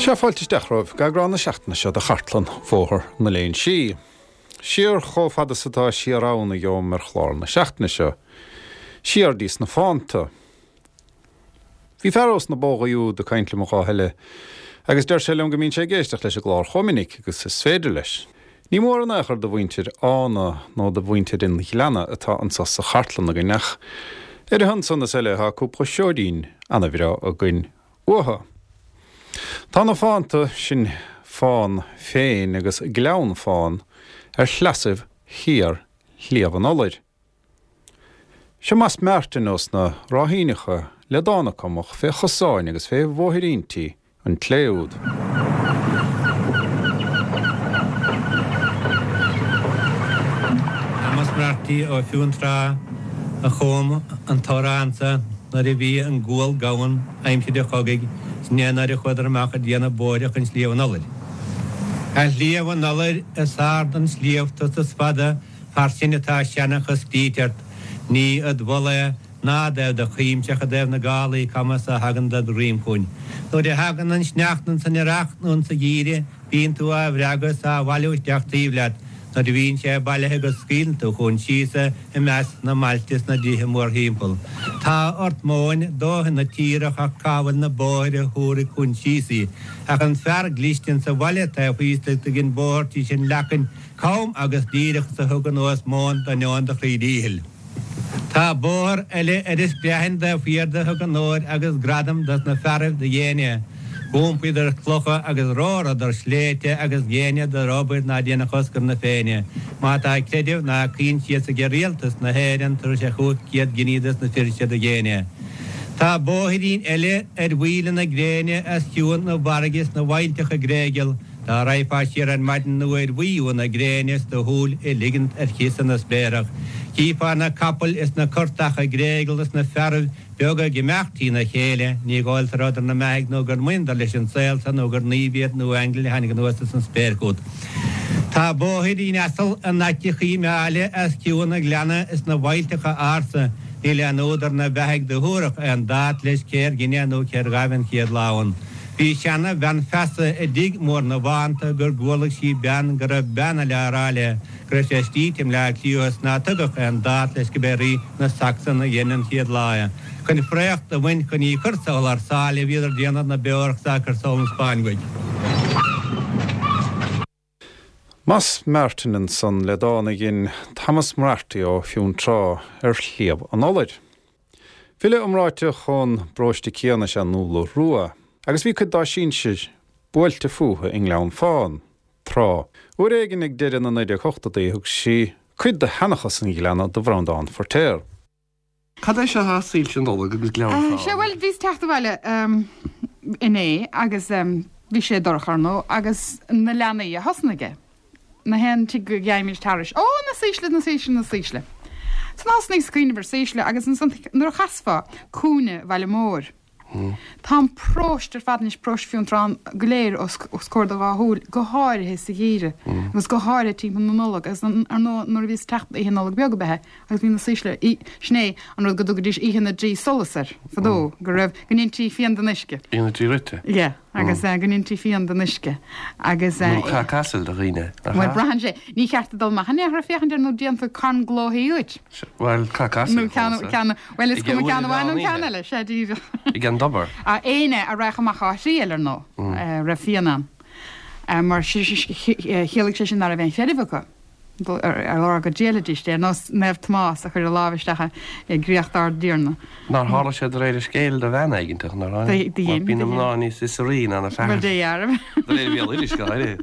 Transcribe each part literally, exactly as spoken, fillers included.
Sea, fáilte isteach romhaibh go eagrán na seachtaine seo de Chartlann Bhóthar na Léinsí. Siar chomh fada is atá siar ann a gheobham ar chlár na seachtaine seo. Siar dtí sna fánta. Bhí fear ós na bógaí úd ag caint liom an lá eile agus deir sé liom go mbíonn sé ag éisteacht leis an gclár chomh minic agus is féidir leis. Ní mór in aon chor do mhuintir Fhána nó do mhuintir an Ghleanna atá anso sa chartlann againn ach ar a shon san is eile tá cúpla seoidín ana-bhreá againn uathu. Tá na fánta, sin Fán féin agus Gleann Fán, ar shleasaibh thiar Shliabh an Fholair. Seo Mas Martin ós na Ráithíneacha le dán a cumadh fé chosáin agus fé bhóithríntí an tslé úd. Thomas Moriarty ó Fionntrá a chum an t-amhrán sa nuair a bhí an gual gann aimsir an chogaidh 's né nuair a chuadar amach ag déanamh bóithre chun Sliabh an Fholair. A Shliabh an Fholair is ard an sliabh tusa is fada far sin atá seanchas scríte ort, ní id mholadh é ná i dtaobh do chuimse ach i dtaobh na gálaí cama is a thagann ded dhroim chugainn. Nuair a thagann an sneachta insan earrach nó insa gheimhreadh bíonn tú á bhreagadh is á bhailiú isteach taobh leat, Nuair a bhíonn sé bailithe agat scaoileann tú chugainn síos é i measc na mbailte is na dtithe mórthimpeall. Tá ort móin dóthain na tíre ach cá bhfuil na bóithre a thabharfaidh chugainn síos í. Ach an fear gliste insa bhaile taobh thíos leat do dhein bóthar tís an leacain cam agus díreach is a thug anuas móin d'ainneoin do chroí díchill. Tá bóthar eile ar an Screathain taobh thiar de thug onóir agus gradam dos na fearaibh do dhein é. Dh'iompaíodar clocha agus romhradar sléibhte agus dheineadar obair ná déanfadh Oscar na Féinne. Má tá creideamh ná coinsias aige Rialtas na hÉireann tabharfaidh sé chúig chéad giní dos na fir seo do dhein é. Tá bóithrín eile ar mhaoile na gréine os cionn na bhfarraige is na bhfaillteacha gréigeal. Dá raghfá siar ar maidin nuair bhuí na gréine is do shúil a ligint ar chiosa na spréarach, chífeá na capaill is na curtacha ag gréigeal is na fearaibh beaga ag imeacht trína chéile, ní dhóigh leat a rabhadar 'na mbeathaidh nó gur mbaineadar leis an saol so nó gur naoimh iad nó aingil a tháinig anuas as an spéir chugat. Tá bóithrín asal in aice Choill Meáile os cionn an ghleanna is na bhfaillteacha ársa, níl aon údar 'na bheathaidh do thabharfadh aon dát leis cér dhein é nó cér ghaibh an chéad lá ann. Bhí seana bhean feasa i dtigh mór na bhFánta gur gcualaidh sí bean go raibh bean eile á rá léi go raibh sé scríte i mBleá Cliath is ná tugadh aon dát leis go b'é rí na Sacsan a dhein an chéad lá é. Chun fraoch do bhaint chun í chur thar sáile bhíodar déanamh na beorach 's á cur sall an Spáinn uaidh. Mas Martin ansan le dán a dhein Thomas Moriarty ó Fionntrá ar Shliabh an Fholair. File iomráiteach ón bparóiste céanna is ea Nuala Rua, agus bhí cuid dá sinsir buailte fúthu i nGleann Fán, tráth. Uair éigin ag deireadh na naoi déag ochtóidí thug sí cuid de sheanchas an Ghleanna do Bhreandán Feiritéar. Cad é seo Soilse Nollag agus Gleann Fán? Sea, bhuel, bhíos teacht abhaile inné agus bhí sé dorcha, ar ndóigh, agus na leanaí a thosnaigh é. Na haon tigh go gheibhimid thairis, Ó, na saoisle, na saoisle, na saoisle. Ansan thosnaíos ag cuimhneamh ar saoisle agus ansan nuair a chasfá cúinne Bhaile Móir, tá an paróiste ar fad anois, paróiste Fionntrá go léir os comhair do dhá shúil, go háirithe sa gheimhreadh agus go háirithe timpeall na Nollag agus ar ndóigh nuair a bhíos teacht oíche Nollag Beag ab ea é agus bhí na saoisle, sin é an rud go dtugaidís Oíche na dTrí Solas air fadó, go raibh, go ndéintí fíon den uisce. Oíche na dTrí Rite. Yeah. Agus go ndéintí fíon den uisce agus. Nó cac asail do dhaoine, nach ea? Bhuel, braitheann sé. Ní cheart dul amach in aon chor ag féachaint air nó déanfaí carn glóthaí uait. Bhuel, cac asail Nó ceann, ceann, bhuel, is cuma ceann amháin nó ceann eile, sea, díreach. Ag an dtobar. Éinne a raghadh amach á thriail, ar ndóigh, raibh fíon ann. Mar chiallaigh sé sin ná raibh aon chreideamh acu. Ar lár go dtriailfidís é, ar nós Naomh Tomás a chuir a lámh isteach i gcréacht ár dTiarna. Nár tharla sé de réir a scéil do bhean éigint, nár tharla? Do dhein. Mar bíonn na mná níos fiosraí ná na fear. Bhuel, dé dhearbh. De réir bhéaloidis, go háirithe.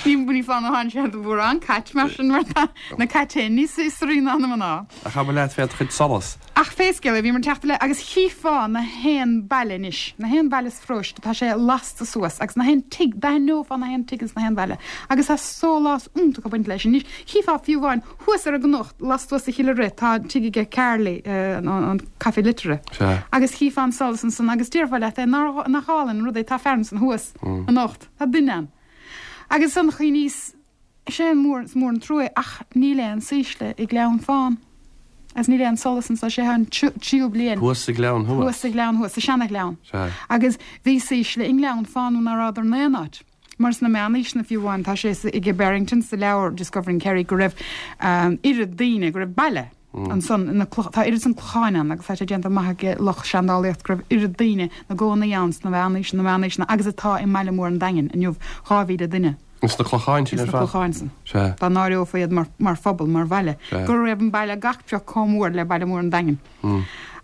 Ní ní foláir nó tháinig sé do mhórán cait mar sin, mar tá na cait féin níos fiosraí ná na mná. Ach abair leat fé do chuid solas. Ach pé scéal é, bhíomar ag teacht abhaile agus chífeá na haon baile anois, na haon bhaile sa pharóiste, tá sé lasta suas agus na haon tigh, d'aithneofá na haon tigh ins na haon bhaile agus tá sólás iontach ag baint leis. Anois, chífeá fiú amháin thuas ar an gcnoc, lastuas de Chill Rith, tá tigh aige Carly, an Café Liteartha, Sea. agus chífeá an solas ansan agus déarfá leat é, nár, nach álainn an rud é, tá fear ansan thuas anocht, tá duine ann. Agus ansan chuimhníos, Is é an mór, is mór an trua é ach níl aon saoisle i nGleann Fán. Agus níl aon solas anso, sé an tríú bliain. Thuas sa ghleann thuas. Thuas sa ghleann thuas, sa seana-ghleann. Sea. Agus bhí saoisle i nGleann Fána nuair ná rabhadar in aon áit. Mar sna meánaoiseanna fiú amháin, tá sé ag Barrington sa leabhar Discovering Kerry go raibh oiread daoine, go raibh baile ansan ina cloch, tá oiread san clocháin ann agus tá sé déanta amach ag lucht seandálaíocht go raibh oiread daoine 'na gcónaí ann sna meánaoiseanna, na meánaoiseanna agus atá i mbaile mór an Daingin inniu, dhá mhíle duine. Ins na clocháin sin ar fad? Ins na clocháin san. Sea. Dá n-áireofaí iad mar, mar phobal, mar bhaile. Sea. Go raibh an baile gach pioc chomh mór le baile mór an Daingin.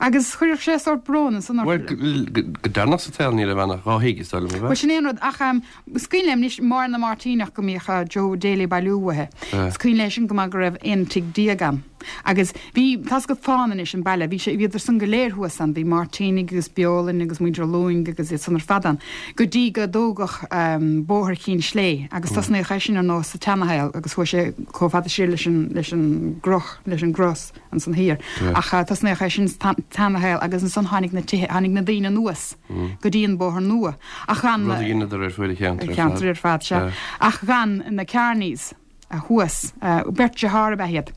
Agus chuirfeadh sé sórt brón ansan ort. Bhuel, go, go deireanach sa tsaol ní raibh ann ach dhá thigh, is dóigh liom, ab ea? Bhuel, sin é an rud, ach is cuimhin liom anois, Máire na Máirtíneach go mbíodh Joe Daly ag bailiú uaithi. Sea. Is cuimhin léi sin go maith go raibh aon tigh déag ann. Agus bhí, tá's agat Fána anois, an baile, bhí sé, bhíodar san go léir thuas ann, bhí Máirtínigh agus Beolainn agus muintir Lúing agus iad san ar fad ann, go dtí go dtógadh Bóthar Chinn Slé agus tosnaíodh é sin ar ndóigh sa tseanashaol agus chuaigh sé chomh fada siar leis an, leis an gcroch, leis an gcros ansan thiar. Ach tosnaíodh é sin sa tseanashaol agus ansan tháinig na tithe, tháinig na daoine anuas go dtí an bóthar nua ach gan Rud a dheineadar ar fuaid an cheantair ar fad. Ceantar ar fad, sea. Ach gan na Kearneys. thuas. Beirt dearthár ab ea iad.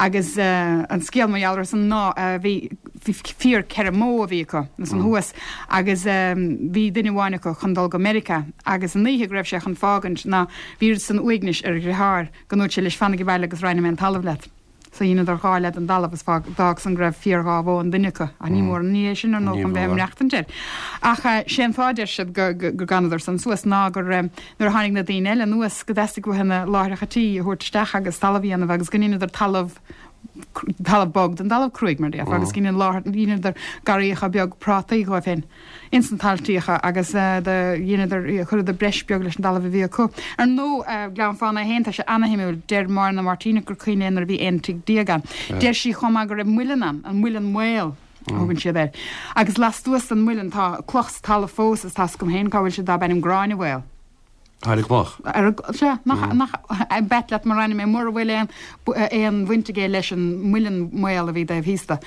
Agus an scéal mar gheall orthu san ná bhí fíor ceithre mbó a bhí acu ansan thuas agus bhí duine amháin acu chun dul go Meiriceá agus an oíche go raibh sé chun fágaint ná bhí oiread san uaignis ar a dheartháir go ndúirt sé leis fanaigh abhaile agus roinnfidh mé an talamh leat. So dheineadar dhá leath den dtalamh is d'fhág san go raibh fíor dhá bhó an duine acu. Ach ní mór an ní é sin ar ndóigh chun bheith ag maireachtaint air. Ach sé an fáth a deir siad go bhfanadar san suas ná gur nuair a tháinig na daoine eile anuas go dteastaigh uathu na láithreacha tí a thabhairt isteach agus talamh a dhéanamh agus go ndeineadar talamh talamh bog den dtalamh cruaidh mar déarfá agus go ndeineadar garraíocha beag prátaí dhóibh féin. Ins na taltaíocha agus do dheineadar, chuireadar breis beag leis an dtalamh a bhí acu. Ar ndóigh, Gleann Fána é féin, tá sé ana-shuimiúil. Deir Máire na Máirtíneach gur cuimhin léi nuair a bhí aon tigh déag ann. Deir sí chomh maith go raibh muileann ann, an Muileann Maol a thugann siad air. Agus lastuas den muileann tá cloch sa talamh fós agus tá's agam féin cá bhfuil sé darb ainm Gráinne Mhaol. Ar an gcloch. Ar an, sea, nach, nach, b'ait leat mar ainm é, mura bhfuil aon, aon bhaint aige leis an muileann maol a bhí taobh thíos de.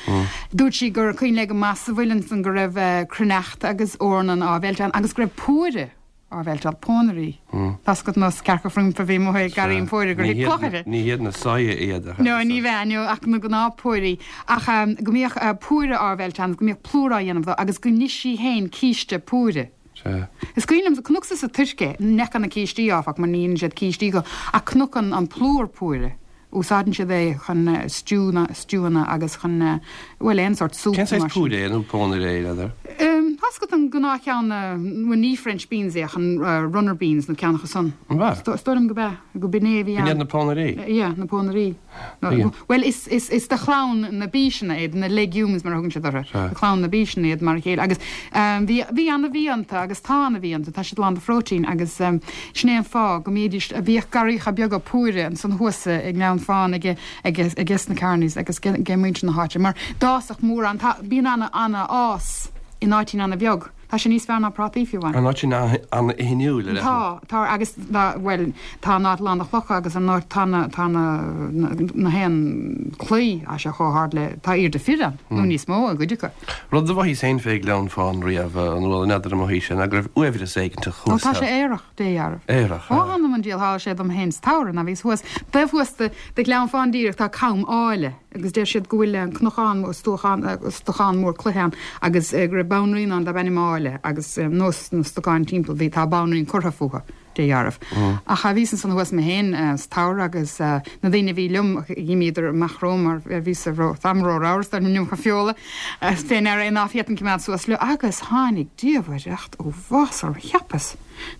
Dúirt sí gur cuimhin léi go maith sa mhuileann san go raibh cruithneacht agus eorna á mheilt ann agus go raibh púire á mheilt ann, pónairí. Tá's agat nós cearca frumpa a bhí amuigh ag garraí an phúire gur thit cloch uirthi. Ní hiad na soya iad ach. No, ní bheadh, no, ach na gnáth-phúirí. Ach go mbíodh púire á mheilt ann, go mbíodh plúr á dhéanamh dó agus go n'ith sí féin císte púire. Sea. Is cuimhin liom, chonacsa sa Tuirc é, ní fheaca na cístí, áfach, mar ní dhéanann siad cístí dhó, ach chonac an, an plúr púire. Úsáideann siad é chun stew-na, stewanna agus chun, bhuel, aon sórt Cén súp nó saghas mar sin. púire é, nó pónaire é, n'fheadar? Tá's agat an gnáthcheann, bhuel, ní French beans é ach an runner beans nó ceann acu san. An b'ea? Is dóigh liom go b'ea, go b'in é a bhí B'in ann. iad na pónairí? Yeah, na pónairí. Bhuel, is, is, is de chlann na bpíseanna iad, na legumes mar a thugann siad orthu. Sea. De chlann na bpíseanna iad mar a chéile. Agus bhí, bhí ana-bhia iontu agus tá ana-bhia iontu, tá siad lán de phróitéin agus sin é an fáth go mbídís, bhíodh garraíocha beaga púire ansan thuas i nGleann Fána aige, aige, aiges na Kearneys agus age muintir na háite mar d'fhásfadh mórán, tá, bíonn ana, ana-fhás in áitín ana-bheag. Tá sé níos fearr ná prátaí fiú amháin. An áit sin an-fhithiúil, ar Tá, tá, agus tá, bhuel, tá an áit lán de chlocha agus an áit, tá na, tá na, na haon claí, tá sé chomh hard le, tá airde fir ann, nó níos mó i gcuid acu. Rud a mhothaíos féin fé Ghleann Fána riamh, an bhfuil, n'fheadar an mothaís é, ná go raibh uaibhreas éiginteach Ó, thuas tá sé ann. aerach, Dé dhealramh. Aerach, Ó, ea. th'anam 'on diabhal, tharla sé dom féin sa tsamhradh, ná bhíos thuas, taobh thuas de, de Ghleann Fána díreach, tá Cam Áille. Agus deir siad go bhfuil an cnocán, stuachán, stocán mór cloiche ann agus go raibh banríon ann darb ainm Áille agus nós na stocáin timpeall bhí, tá banríon curtha fúthu, Dé dhealramh. Ach bhíos ansan thuas mé féin sa tsamhradh agus na daoine a bhí liom, dh'imíodar amach romham mar bhíos-sa ró, táim ró-ramhar is an iomarca feola fé ndeara é ná féadfainn coimeád suas leo agus tháinig diamhaireacht uafásach orm, cheapas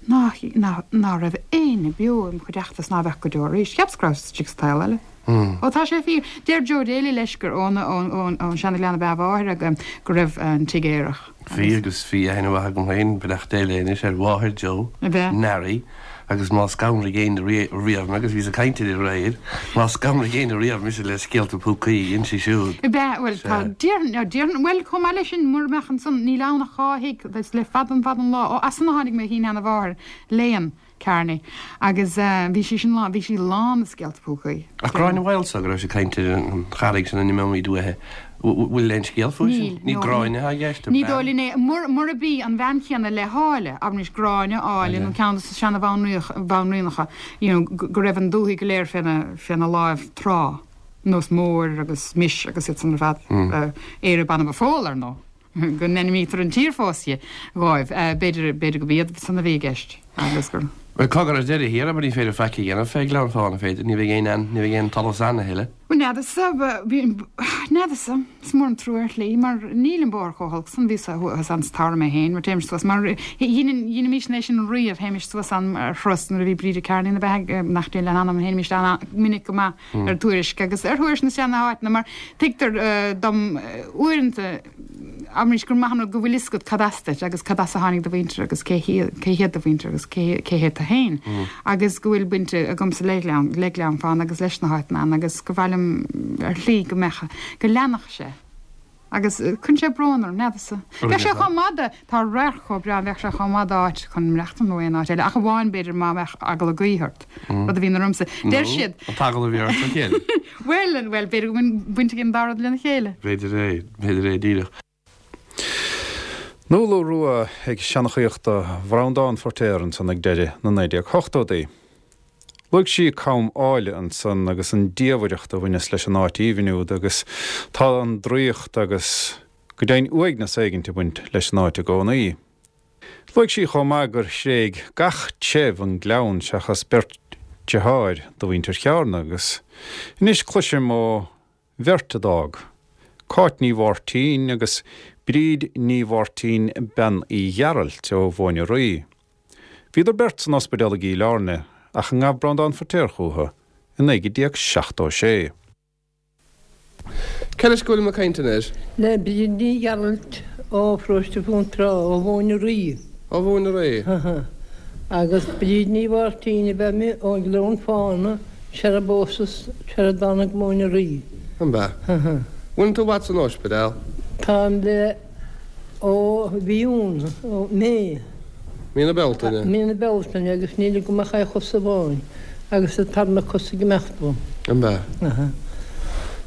ná, ná, ná raibh éinne beo im chuideachta is ná bheadh go deo arís, cheapas go rabhas istigh sa tsaol eile. Ó tá sé fíor. Deir Joe Daly leis gur ón ón Seana-Ghleann ab ea a mháthair agus go raibh an tigh aerach. Bhí agus bhí aithne mhaith agam féin, beannacht Dé léi anois, ar mháthair Joe, Ab ea? Nary, agus má scanraigh éinne riamh mé, agus bhíos ag caint uirthi aréir, má scanraigh éinne riamh mise le scéalta púcaí, dhein sí siúd. Ab ea? Bhuel, tá, déarfainn, déarfainn, bhuel, chomh maith leis sin, mura mbeadh ansan, níl ann ach dhá thigh, is le fada an fada an lá, ó, as san a tháinig mo shín-sheana-mháthair, Léan. Kearney. Agus bhí sí sin lán, bhí sí lán de scéalta púcaí. Ach Gráinne Mhaol so, go raibh sé ag caint ar an charraig sin a n-imeoimid uaithi, bhfuil aon scéal fúithi sin? Níl, Ní no, Gráinne atá i gceist, an ní bean? dóigh linn é. Murab í an bhean chéanna le hÁille, abraimis Gráinne, Áille nó ceann de na seana-bhanríonacha, you know, go raibh an dúthaigh go léir féna, féna láimh tráth. nós Mór agus Mis agus iad san ar fad. Éire Banbha Phóil, ar ndóigh, go n-ainmnítear an tír fós di dhóibh. B'fhéidir, b'fhéidir go b'iad san a bhí i gceist agus gur. Bhuel, cogar ar deireadh thiar, abair, ní féidir faic a dhéanamh fé Ghleann Fána, féidir, ní bheidh aon, ní bheidh aon talamh ann a thuilleadh. Bhuel, n'fheadarsa, n'fheadarsa, is mór an trua ar shlí, mar níl an bóthar chomh holc san, bhíos thuas ann sa tsamhradh mé féin, mar téimis suas, mar dheinimís é sin riamh, théimis suas ann ar thuras nuair a bhí Bríde Kearney ina beatha, nach Dé lena hanam, théimis ann minic go maith ar tuairisc agus ar thuairisc na seana-áiteanna, mar tuigtear dom uaireanta, Abraimis gur maith an rud go bhfuil fhios agat cad as duit agus cad as a tháinig do mhuintir agus cé hiad do mhuintir agus cé cé hiad tú féin agus go bhfuil baint agamsa le Gleann, le Gleann Fána agus leis na háiteanna ann agus gur mhaith liom ar shlí go mbeadh, go leanfadh sé. Agus cuireann sé brón orm, n'fheadarsa. Bheadh sé chomh maith de, tá radharc chomh breá, bheadh sé chomh maith d'áit chun maireachtáil nó aon áit eile ach amháin b'fhéidir má bheadh eagla gaoithe ort, rud a bhíonn ormsa. Deir siad. An t-eagla a bhí ort a chéile. Bhuel, bhuel, b'fhéidir go bhfuil baint ag an dá rud lena chéile. B'fhéidir é, b'fhéidir é díreach. Nuala Rua ag seanchaíocht do Bhreandán Feiritéar ansan ag deireadh na naoi déag hochtóidí. Luaigh sí Com Áille ansan agus an diamhaireacht a bhaineas leis an áit aoibhinn úd agus tá an draíocht agus go deimhin uaigneas éigint ag baint leis an áit i gcónaí. Luaigh sí chomh maith gur thréig gach treibh an gleann seachas beirt deartháir do mhuintir Chearna agus anois cloisim ó bheirt a d'fhág, Cáit Ní Mháirtín agus Bríd Ní Mháirtín Bean Uí Ghearailt ó Mhóin an Rí. Bhíodar beirt san ospidéal i gCill Airne ach a ngabh Breandán Feiritéar chucu i naoi déag seachtó sé. Cé leis go bhfuilim ag caint anois? Le Bríd Ní Ghearailt ó Pharóiste Bheanntrá, ó Mhóin an Rí. Ó Mhóin an Rí. Agus Bríd Ní Mháirtín ab ea mé ón nGleann Fána, sar a bpósas, sar a dtáinig Móin an Rí. An b'ea? Bhfuil tú i bhfad san ospidéal? Táim le ó mhí Iúil, ó May. Mí na Bealtaine? Mí na Bealtaine agus níl agam ach aon chos amháin agus an tarna cos ag imeacht uaim. An b'ea? Aha.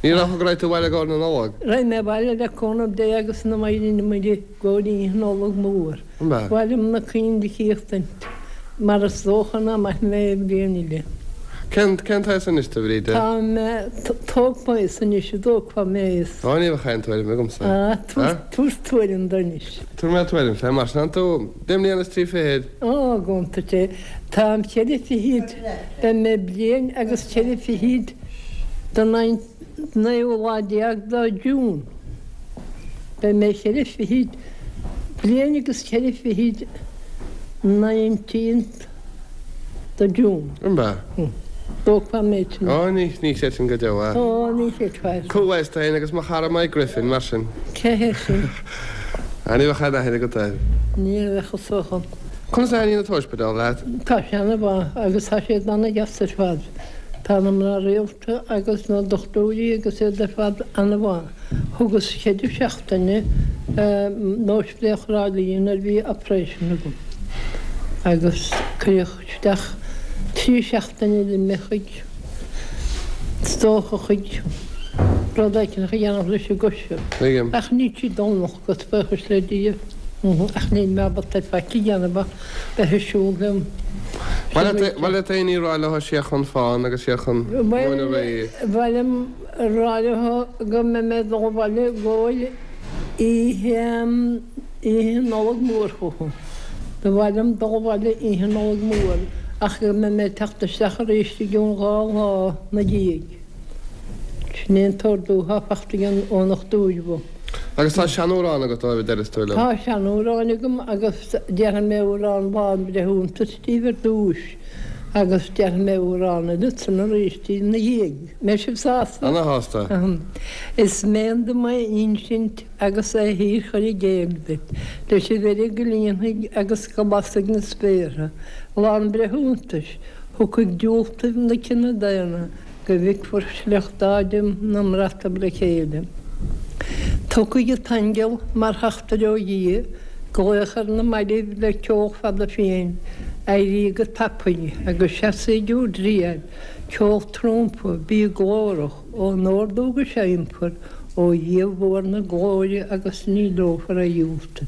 Ní dócha go raghaidh tú abhaile i gcomhair na Nollag? Raghaidh mé abhaile le cúnamh Dé agus na Maighdine Muire i gcomhair Oíche Nollag Mór. An b'ea? Ba mhaith liom na coinnle a chíochtaint mar is dócha ná mairfidh mé aon bhliain eile. Cén cén t-aois anois tú, a Bhríde? Tá mé tógfaidh anois a dtógfá mé is. Á ní bheadh aon tuairim agamsa. Á tabhair tabhair tuairim dom anois. Tabharfaidh mé tuairim fé mar sin tú deich mbliana is trí fichid. Á go hiontach é. Táim ceithre fichid, beidh mé bliain agus ceithre fichid don naoú lá déag de June. Beidh mé ceithre fichid, bliain agus ceithre fichid nineteenth de June. An b'ea? Dóchfá mé sin. Ó, ní, ní chreidfinn go deo é. Ó, ní chreidfeá. Comhaois tú féin agus mo chara Mike Griffin, mar sin. Cé hé sin? Á, ní bheadh aon aithne agat air. Ní bheadh is dócha. Conas a thaitníonn an t-ospidéal leat? Tá sé ana-mhaith agus tá siad ana-dheas ar fad. Tá na mná rialta agus na dochtúirí agus iad ar fad ana-mhaith. Thugas ceithre seachtaine in Ospidéal Thrá Lí nuair a bhí operation agam agus cuireadh isteach trí seachtaine eile mé chuig, is dócha chuig rud éicint a dhéanamh leis an gcois. Tuigim. Ach níl sí dul anocht, buíochas le Dia. Ach níl mé ábalta faic a dhéanamh ach bheith ag siúl liom. Ba mhaith leat aon ní a rá leo siar chun Fána agus siar chun Móin an Rí. Ba mhaith liom a rá leo go mbeidh mé ag dul abhaile i gcomhair oíche Oíche Nollag Mór chucu. Ba mhaith liom dul abhaile Oíche Nollag Mór ach go mbeidh mé ag teacht isteach arís i gcionn dhá lá 'na dhiaidh. Sin é an t-ordú atá fachta agam ón ndochtúir uaim. Agus tá seanamhrán agat dóibh a déarfas tú liom. Tá seanamhrán agam agus déarfaidh mé amhrán Lá an Bhreithiúntais daoibh ar dtúis agus déarfaidh mé amhrán eile ansan arís daoibh 'na dhiaidh. Mbeidh sibh sásta? Ana-shásta. Is mian dom é insint agus é shíor-chur i gcéill duit, leis an bhfeirg go líonfaidh agus go lasfaidh na spéartha. Lá an Bhreithiúntais, thiocfaidh diúltaibh na cine daonna go bhficfear sliocht Ádaim 'na mbrataibh le chéile. Tiocfaidh an t-aingeal mar theachtaire ó Dhia, glaoch ar na mairbh le ceol fada fiáin, éirídh go tapaidh agus seasaídh i bhur dtriail, ceol trumpa, bíodh glórach, ón ordú go seinnfear, ó Dhia mhór na glóire agus ní leomhfar é dhiúltú.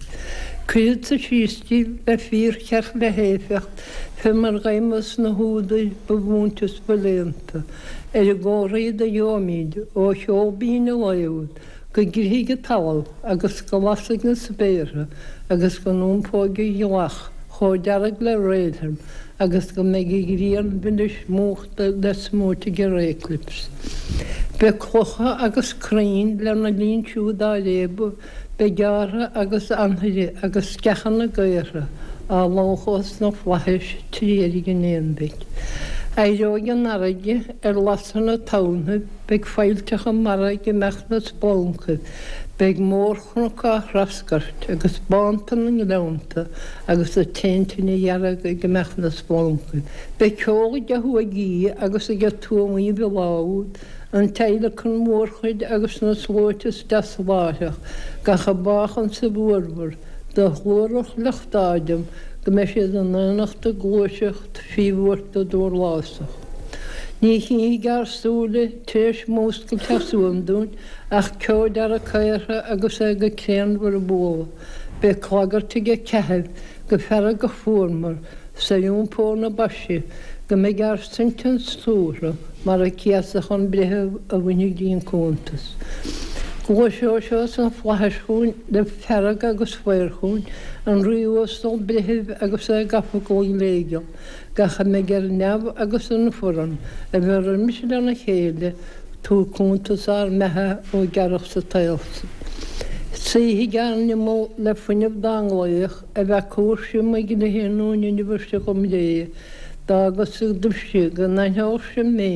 Cuirfeadsa síos díbh le fíorcheart le héifeacht fé mar dh'fheidhmeas na húdair ba mhúinte is ba léannta, ar an gcomharthaí do gheobhaimíd ó cheol binn an lae úd, go gcrithfidh an talamh agus go lasfaidh na spéartha agus go n-iompóidh an ghealach chomh dearg le réilthorm agus go mbeidh an ghrian mhilis múchta le smúit ag an réclips. Beidh clocha agus crainn lena linn siúd á réabadh, beidh gearrtha agus anfaire agus sceacha na gcaortha á lóchadh sna flaithis trí fheirg an aonmhic. Éireoidh an fharraige ar lasadh na tonnthaibh, beidh faillteacha mara ag imeacht 'na sploncaibh, beidh mórchnoc á threascairt agus bánta na ngleannta agus an t-aon tine dhearg ag imeacht 'na sploncaibh. Beidh ceol ag thuagaí agus ag tuamaíbh an lá úd, an teaghlacan mórchuid agus na sluaite is deasa láithreach, gach a bádh ansa bhfuarmhar do ghlórach lucht Ádaim go mbeidh siad in aonacht ag gluaiseacht fí bhuairt dórlásach. Ní chífidh ár súile tar éis múscailt as uaim dúinn ach ceo dearg caortha agus é go créanmhar ag bualadh. Beidh clagairt ag a ceathair go feargach fuarmhar 's ar iompó na baise go mbeidh ár sointeans tuartha mar a céasadh an breitheamh a bhainfidh dínn cuntas. Gluaiseoidh sé sna flaithis chugainn le fearg agus faobhar chugainn, an Rí uasal breitheamh agus é gafa go gléigeal, gach a mbeidh ar neamh agus ar an bhforann, a bheith roimis lena chéile, tabhairt cuntas ár mbeatha ó gearradh sa tsaol san. Suífidh ár n-imeall le fuinneamh dá nglaoch, a bhfeaca sibh mo ghlighe nó n-inbhir sibh dhom ré, d'fhágas-sa daoibhse go n-aithneodh sibh mé,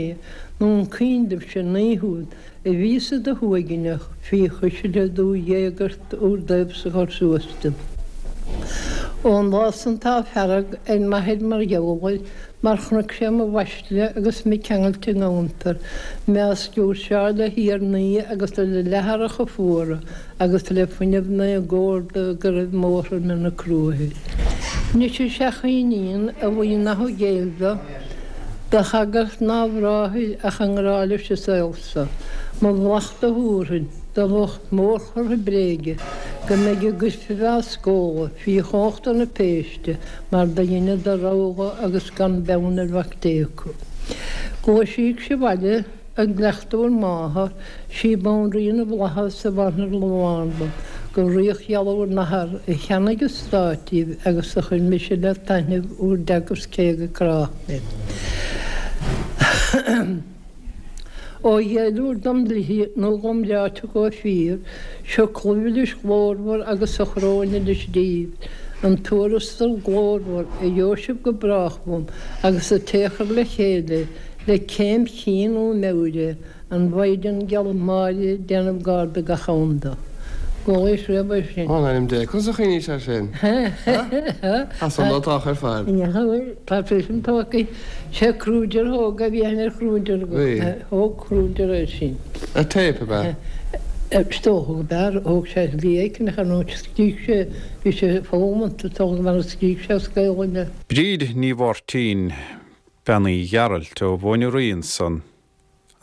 nó an cuimhin libhse an oíche úd a bhíos i do shuaigneach fí chuisle do dh'éagairt úr dtaobhsa chur suas dom. Ón lá san tá fearg ar m'athair mar gheall air, mar chonaic sé mo bhaisle agus mé ceangailte i ngabhantar, mé á sciúrseáil le hiarnaí agus le leatharacha fuara agus le fuinneamh na gcórda go raibh m'fhothram ina cruaidh. Anois is ea a iníon a bhuí nach i gcéill do, do shagart ná bhráthair ach i ngrá leis an saol so. Mo mhallacht a thabharfainn do lucht mórchurtha bréige go mbeidh a gcoirpibh á scóladh fí chumhachta na péiste mar do dheineadar rogha agus gan beann ar Mhac Dé acu. Gluaisíg sibh abhaile i gcleachtadh bhur máthar, sí Banríon na bhFlaitheas a bhantraimh mhánla go ríocht gheal bhur n-athar a cheannaigh an stát díbh agus a chuir mise le taitneamh bhur dteagasc cé go cráite mé. Ó ghéilleadh dom dlíthe nó dhom reáite chomh fíor, seo culaith mhilis ghlórmhar agus a choróin anois díbh, an tuarastal glórmhar a gheobhaidh sibh go brách uaim agus an té a chuir le chéile le céim chinn nó meabhair é, an Mhaighdean Gheal Mháire ag déanamh gar do gach am do. Gabhaidh sibh é sin. Ó, in ainm Dé, conas a chuimhnigh sé sin? As an lotach ar fad. Tá sé sin tógtha. Sé Kruger a thóg a bhí aithne ar Kruger agat. Thóg Kruger é sin. Ar téip ab ea? Is dócha go b'ea. Thóg sé slí éicint ar ndóigh scrígh sé, bhí sé foghlamanta, is dócha mar a scrígh sé as Gaolainn é. Bríd Ní Mháirtín, Bean Uí Ghearailt ó Mhóin Rí ansan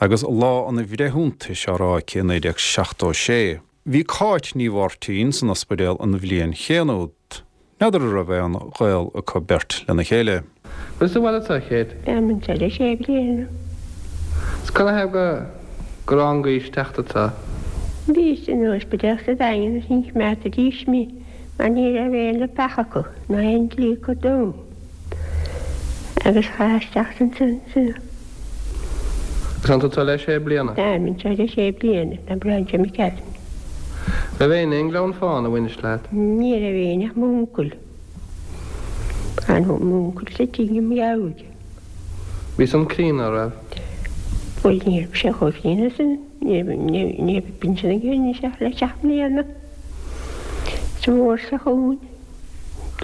agus Lá an Bhreithiúntais á rá aici i naoi déag seachtó sé. Bhí Cáit Ní Mháirtín san ospidéal an bhliain chéanna úd. N'fheadar an raibh aon ghaol acu beirt lena chéile. Bhfuil sa bhaile atá chéad? Táim anseo le sé bliana. Is canathaobh go go raibh an ghaois teacht atá? Bhíos san ospidéal sa Daingean is ní choimeádfaidís mé mar ní raibh aon leapacha acu ná aon dlí acu dom. Agus chaitheas teacht ansan sa. Agus an tú le sé bliana? Táim anseo le sé bliana, na Bráinse McCallan. Raibh éinne i nGleann Fána a bhainis leat? Ní raibh éinne ach m'uncail. An m'uncail sa tigh i mBealg. Bhí san críonna, an raibh? Bhuel, ní raibh sé chomh críonna sin. Ní raibh, ní raibh pinsean aige anois ach le seacht mbliana. Sa mhór sa chuan.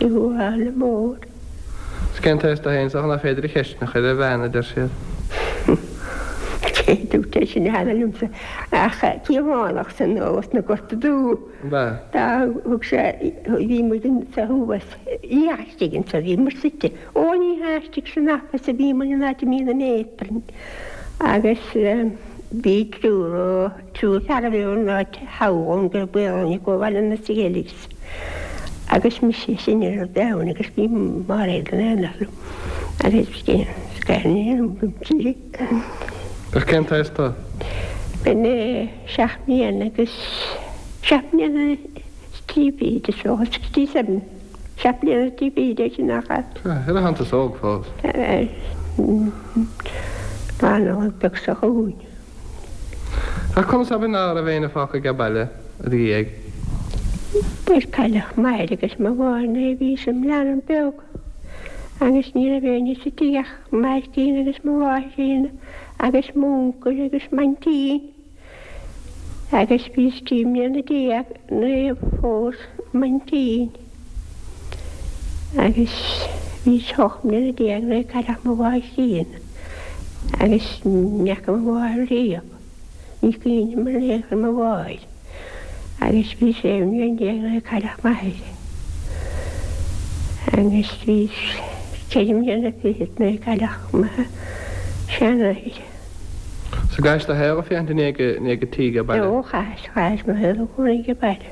De bhuaile mór. Is cén t-aos do féin is dócha nach féidir a cheist a chur ar bhean, a deir siad. Cé dúirt é sin cheana liomsa ach Cíobhánach san os na Gorta Dubh. Ab ea? Dá thug sé, bhí muid insa thuas, ní istigh anso, bhí muid suite. Ó ní hea istigh san office a bhí muid an áit a mbíonn an matron agus bhí triúr ó, triúr fear a bhí ón áit thall ón gCraobh Gaelainne chomh maith le na Skelligs. Agus mise is sine ar domhan agus bhí Máiréad in éineacht liom agus Ach cén t-aois tú? B'in seacht mbliana agus seacht mbliana is trí fichid is dócha, sixty seven, seacht mbliana is trí fichid é sin nach ea? Sea, ina óg fós. B'anamh beag sa chúin. Ach conas ab in ná raibh éinne fágtha age baile i do dhiaidh? Bhuel, cailleadh m'athair agus mo mháthair nuair a bhíos im leanbh beag agus ní raibh éinne sa tigh ach Máirtín agus mo mháithrín agus m'uncail agus m'aintín agus bhíos trí mbliana déag nuair a phós m'aintín agus bhíos ocht mbliana déag nuair a cailleadh mo mháithrín agus ní fhaca mo mháthair riamh. Ní cuimhin liom in aon chor mo mháthair agus bhí sé mbliana déag nuair a cailleadh m'athair agus bhíos ceithre mbliana fichead nuair a cailleadh mo sheanathair. So chaithis do shaol féachaint i ndiaidh an tí age baile? Ó, chaitheas, chaitheas mo shaol i gcónaí age baile.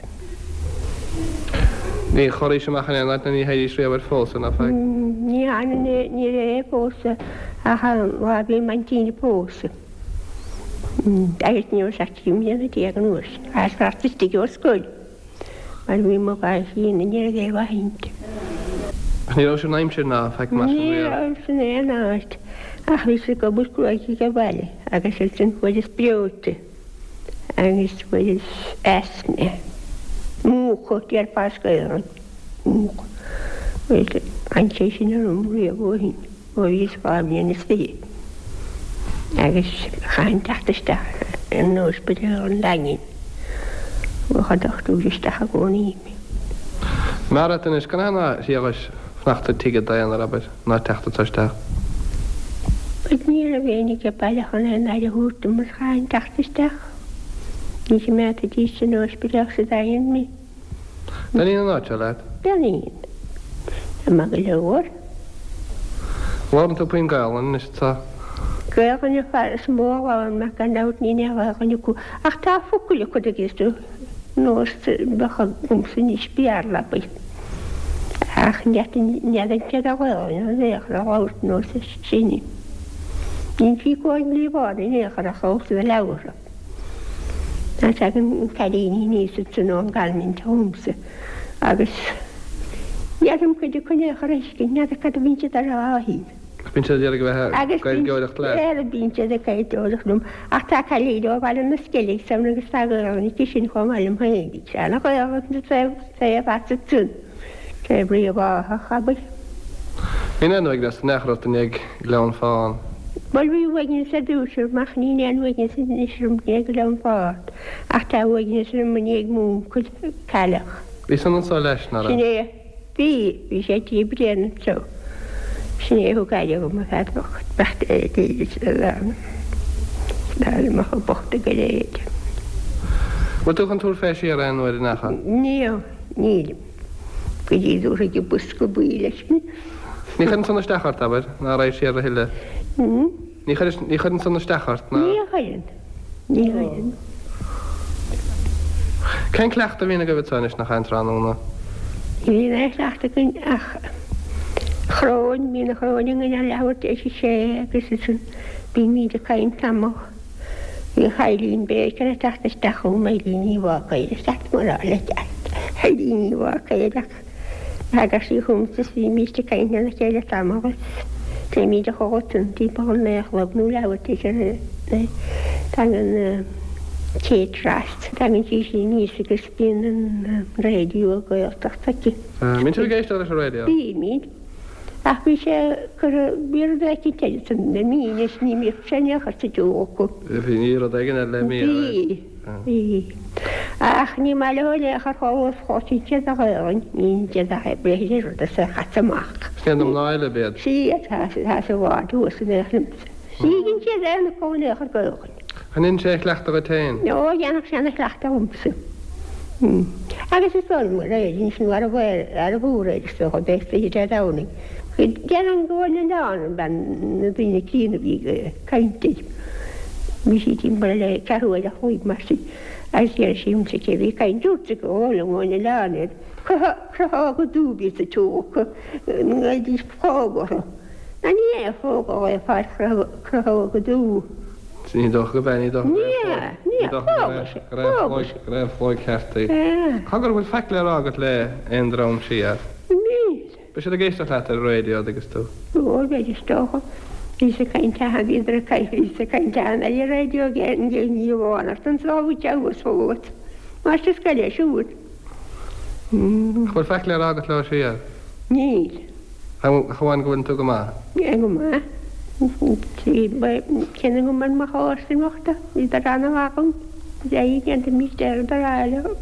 Ní chorraís amach in aon áit ná ní théidís riamh ar phósadh, ná faic? Ní dhearna, ní raibh aon phósadh ach an lá a bhí m'aintín ag pósadh. Agus ní raibh ach trí mbliana déag an uair sin. Chaitheas fanacht istigh ó scoil mar bhí mo mháithrín ní raibh aon mhaith inti. Ach ní raibh sin aimsir ná faic mar sin Ní riamh? raibh san aon áit ach bhíos ag obair cruaidh age baile agus ansin fuaireas breoite agus fuaireas asthma. Múchadh, déarfá as Gaelainn. Múchadh. Bhuel, d'fhan sé sin orm riamh ó shin, ó bhíos dhá bhliain is fiche. Agus chaithfinn teacht isteach in Ospidéal an Daingin. Bheadh an dochtúir isteach i gcónaí. Mar at anois, can ná thriallais fanacht i dtigh i d'aonar, abair, ná teacht anseo isteach? Bhuel, ní raibh éinne age baile chun aon aire a thabhairt dom is chaithfinn teacht isteach. Ní choimeádfaidís san ospidéal sa Daingean mé. Taitníonn an áit seo leat? Taitníonn. Tá maith go leor. Labhrann tú puinn Gaelainn anois tá. Gaelainn an fear is mó a labhrann mé gan dabht níl aon Ghaelainn acu ach tá focail acu agus tú nós bheadh agamsa anois Béarla abair. Ach n'fheadar céard a Ghaelainn an aon chor a labhairt nós sinne. Níl sí chomh líomhán in aon chor ach ós na leabhartha. Tá tagann cailíní aníos ansan ón gCoinbhint chugamsa agus n'fheadar cuid acu in aon chor a thuiscint, n'fheadar cad a bhíonn siad a rá féin. Ach bíonn siad ag iarraidh a bheith ag Gaeilgeoireacht leat. Agus bíonn siad ag Gaeilgeoireacht liom. Ach tá cailín ó Bhaile na Sceilg ann agus tá Gaelainn aici sin chomh maith liom féin. Bíonn sé ana-Ghaelach sa taobh as ansan, taobh Uíbh Eachach, abair. Bíonn aon uaigneas in aon chor ort i ndiaidh Ghleann Fáin. Bhuel, bhí uaigneas ar dtús orm ach níl aon uaigneas anois orm i ndiaidh Ghleann Fáin ach tá uaigneas orm i ndiaidh m'uncail a cailleadh. Bhí san anseo leis, ná raibh? Sin é. Bhí. Bhí sé trí bliana anseo. Sin é a thug aire dhom, a fear bocht, beacht ar mo chomh bocht go léir. Bhfuil tú chun tabhairt fé siar aon uair in aon chor? Níl. Nílim. Go dtí go dtabharfaidh an bosca buí leis mé. Ní chuireann san isteach ort, abair, ná raghaidh siar a thuilleadh. Ní chuireann, ní chuireann san isteach ort, ná. Ní chuireann. Ní chuireann. Cén cleachtadh a bhíonn agaibh anseo anois nach aon tráthnóna? Ní bhíonn aon chleachtadh againn ach choróin, bíonn an choróin againn ar leathuair tar éis a sé agus ansin bímid ag caint tamall. Bhíodh Eileen Baker ag teacht isteach chugam, Eileen Ní Bhácaeir, is ait mar a le ceart, Eileen Ní Bhácaeir ach Thagadh sí chugamsa is bhímíst ag caint lena chéile tamall is téimíd a chodladh ansan timpeall a naoi a chlog nó leathuair tar éis a naoi. Tagann Kate Ross, tagann sí sin aníos agus bíonn an raidió Gaeltacht aici. Mbíonn sibh ag éisteacht leis an raidió? Bímid. Ach bhí sé curtha, bhí rud éicint eile ansan le mí anois, ní mbíodh sé in aon chor sa tsiúl acu. Bhí rud éigin eile le mí, Bhí. Bhí. Ach ní maith leo in aon chor chomh chloiseann siad an Ghaelainn, ní siad ach ag breith ar rud is é chaite amach. Is iad na mná eile ab iad. Sea, atá, atá sa bhád thuas in aon chor. Ní fhaigheann siad aon fhocal in aon chor Gaelainn. An ndéanann sé a chleachtadh dhuit féin? Ó, dhéanfadh sé ana chleachtadh dhomsa. Agus is dóigh liom gur éirigh anois nó arbh arbh fhiú é is dócha bheith istigh Dé Domhnaigh. Déarfainn go bhfuil an oileán an bean na daoine críonna a bhí ag caint air. Bhí sí timpeall le ceathrú ar a chúig mar sin agus dhear sí liomsa cé bhí caint dúirt go bhfuil an oileán air. Crothóga dubh sa tóca ngabhaidís fág orthu. Ná ní é fóga é fear crothóga dubh. Ní dócha go b'é, ní dócha Ní ea, ní ea, fága sé, fága sé. Go raibh flóig ceart í. Cá go bhfuil faic le rá agat le aon dream siar? Níl. Beidh siad ag éisteacht leat ar an raidió agus tú. Ó, beidh is dócha. Bhí sa caint aithe, bhíodar ag caint, bhí sa caint aithe ar an raidió ag an ní amháin ach don sábháilte abhus fós. Máistir scoile siúd. An bhfuil faic le rá agat leo siar? Níl. Ach amháin go bhfuil tú go maith? Go maith. Cén go mbeidh mo chás imeachta, bhíodar an-mhaith agam. Bheidh déanta mistéir ar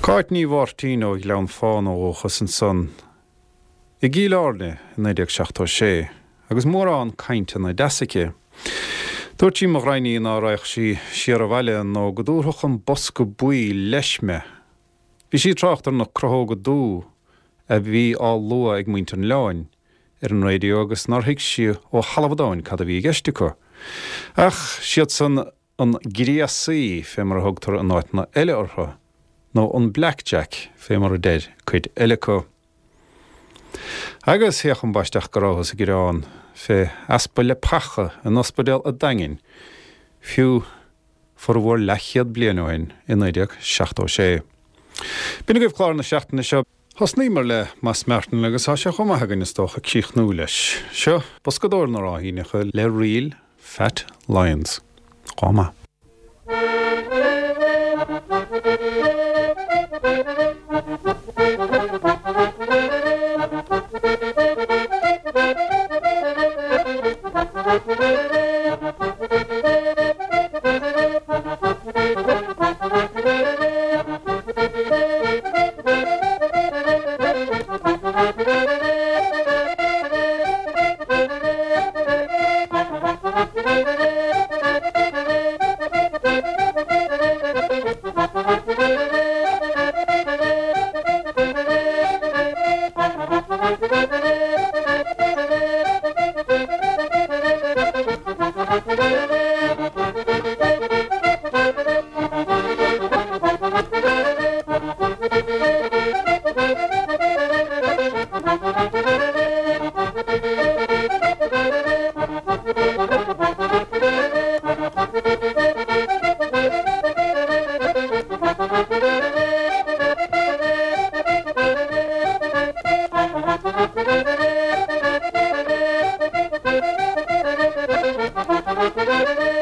Cáit Ní Mháirtín ó Ghleann Fána ó dhúchas ansan i gCill Airne i naoi déag seachtó sé agus mórán cainteanna deas aici. Dúirt sí mo ghraidhin í ná raghadh sí siar abhaile nó go dtabharfadh an bosca buí leis mé. Bhí sí ag trácht ar na crothóga dubha a bhí á lua ag muintir an oileáin ar an raidió agus nár thuig sí ó thalamh an domhain cad a bhí i gceist acu. Ach siadsan an gréasaí fé mar a thugtar in áiteanna eile orthu, nó an blackjack fé mar a deir cuid eile acu. Agus théadh an báisteach go rabhthas ag gearán fé easpa leapacha in ospidéal an Daingin, fiú formhór leathchéad bliain ó shin i naoi déag seachtó sé. B'in agaibh clár na seachtaine seo. Thosnaíomar le Moss Martin agus tá sé chomh maith againn is dócha críochnú leis. Seo Boscadóir na Ráithíneacha le Real Fat Lions. Go maith. Thank you.